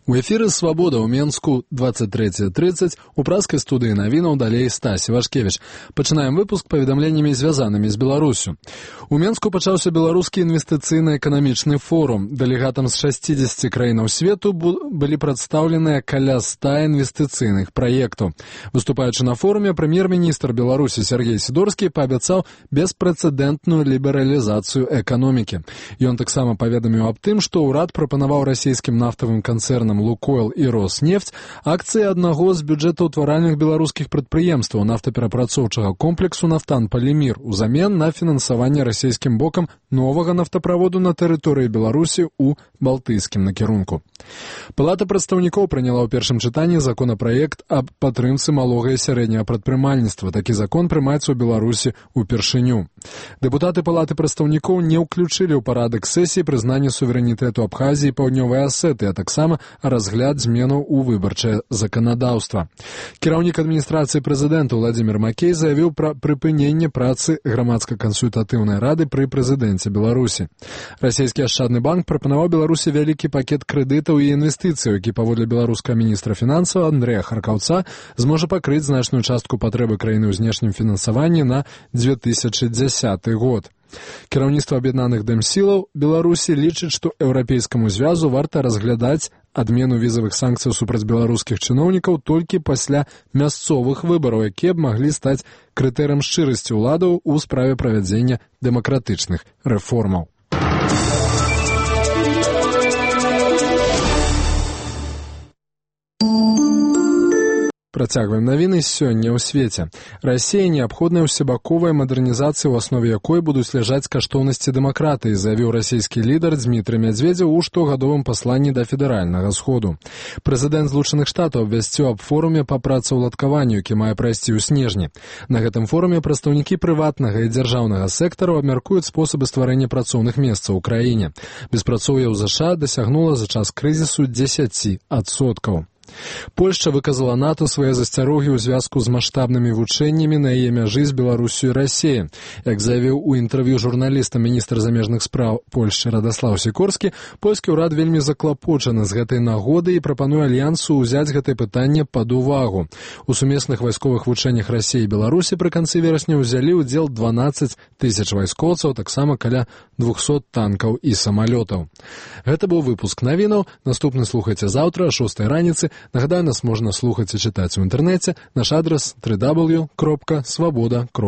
У эфіры «Свабода» ў Менску 23:30, у праскай студыі навінаў далей Стась Івашкевіч. Пачынаем выпуск паведамленнямі, звязанымі з Беларусю. У Менску пачаўся беларускі інвестыцыйна-эканамічны форум. Дэлегатам з 60 краінаў свету былі прадстаўленыя каля 100 інвестыцыйных праектаў. Выступаючы на форуме, прэм'ер-міністр Беларусі Сергей Сідорскі паабяцаў беспрэцэдэнтную лібералізацыю эканомікі. Ён таксама паведаміў аб тым, што ўрад прапанаваў расійскім нафтавым канцэрнам «Лукойл» і «Роснефть» акцыі аднаго з бюджэтаўтваральных беларускіх прадпрыемстваў нафтаперапрацоўчага комплексу «Нафтан-Палімір» узамен на фінансаванне расійскім бокам новага нафтаправоду на тэрыторыі Беларусі ў балтыйскім накірунку. Палата прадстаўнікоў прыняла ў першым чытанні законапраект аб падтрымцы малога і сярэдняга прадпрымальніцтва. Такі закон прымаецца ў Беларусі ўпершыню. Дэпутаты Палаты прадстаўнікоў не ўключылі ў парадак сесіі прызнанне суверэнітэту Абхазіі і Паўднёвай Асеты, а таксама разгляд зменаў у выбарчае заканадаўства. Кіраўнік адміністрацыі прэзідэнта Владзімір Макей заявіў пра прыпыненне працы грамадска-кансультатыўнай рады пры прэзідэнце Беларусі. Расійскі ашчадны банк прапанаваў Беларусі вялікі пакет крэдытаў і інвестыцыяў, які паводле беларускага міністра фінансаў Андрэя Харкаўца зможа пакрыць значную частку патрэбы краіны ў знешнім фінансаванні на 2010 год. Кіраўніцтва аб'яднаных дэмсілаў Беларусі лічыць, што еўрапейскаму звязу варта разглядаць адмену візавых санкцый супраць беларускіх чыноўнікаў толькі пасля мясцовых выбараў, якія б маглі стаць крытэрыем шчырасці ўладаў у справе правядзення дэмакратычных рэформаў. Працягваем навіны сёння ў свеце. Расія неабходная ўсебаковая мадэрнізацыя, у аснове якой будуць ляжаць каштоўнасці дэмакратыі, заявіў расійскі лідар Дзмітрый Мядзведзеў у штогадовым пасланні да федэральнага сходу. Прэзідэнт Злучаных Штатаў абвясціў аб форуме па працаўладкаванню, які мае прайсці ў снежні. На гэтым форуме прадстаўнікі прыватнага і дзяржаўнага сектару абмяркуюць спосабы стварэння працоўных месцаў у краіне. Беспрацоўе ў ЗША дасягнула за час крызісу 10%. Польшча выказала НАТО свае засцярогі ў звязку з маштабнымі вучэннямі на яе мяжы з Беларусю і Расіяй. Як заявіў у інтэрв'ю журналістам міністр замежных спраў Польшчы Радаслаў Сікорскі, польскі ўрад вельмі заклапочаны з гэтай нагоды і прапануе альянсу ўзяць гэтае пытанне пад увагу. У сумесных вайсковых вучэннях Расіі і Беларусі пры канцы верасня ўзялі ўдзел 12 000 вайскоўцаў, таксама каля 200 танкаў і самалётаў. Гэта быў выпуск навінаў. Наступны слухайце заўтра о 6 раніцы. Нагадаю, нас можна слухаць і чытаць у інтэрнэце. Наш адрас www.svoboda.org.